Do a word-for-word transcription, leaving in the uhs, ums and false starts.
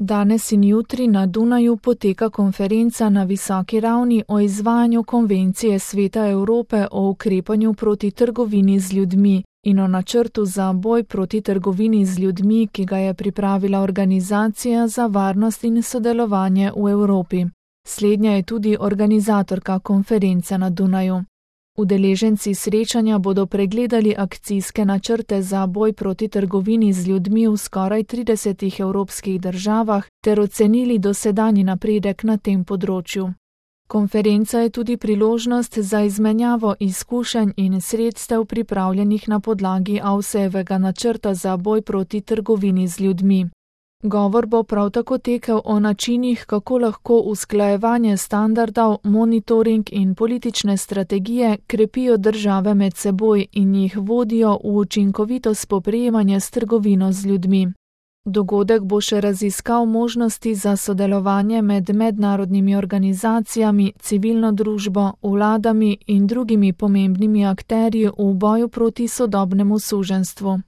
Danes in jutri na Dunaju poteka konferenca na visoki ravni o izvajanju Konvencije Sveta Evrope o ukrepanju proti trgovini z ljudmi in o načrtu za boj proti trgovini z ljudmi, ki ga je pripravila Organizacija za varnost in sodelovanje v Evropi. Slednja je tudi organizatorka konference na Dunaju. Udeleženci srečanja bodo pregledali akcijske načrte za boj proti trgovini z ljudmi v skoraj tridesetih evropskih državah ter ocenili dosedanji napredek na tem področju. Konferenca je tudi priložnost za izmenjavo izkušenj in sredstev pripravljenih na podlagi Avsejevega načrta za boj proti trgovini z ljudmi. Govor bo prav tako tekel o načinih, kako lahko usklajevanje standardov, monitoring in politične strategije krepijo države med seboj in jih vodijo v učinkovito spoprijemanje s trgovino z ljudmi. Dogodek bo še raziskal možnosti za sodelovanje med mednarodnimi organizacijami, civilno družbo, vladami in drugimi pomembnimi akterji v boju proti sodobnemu suženjstvu.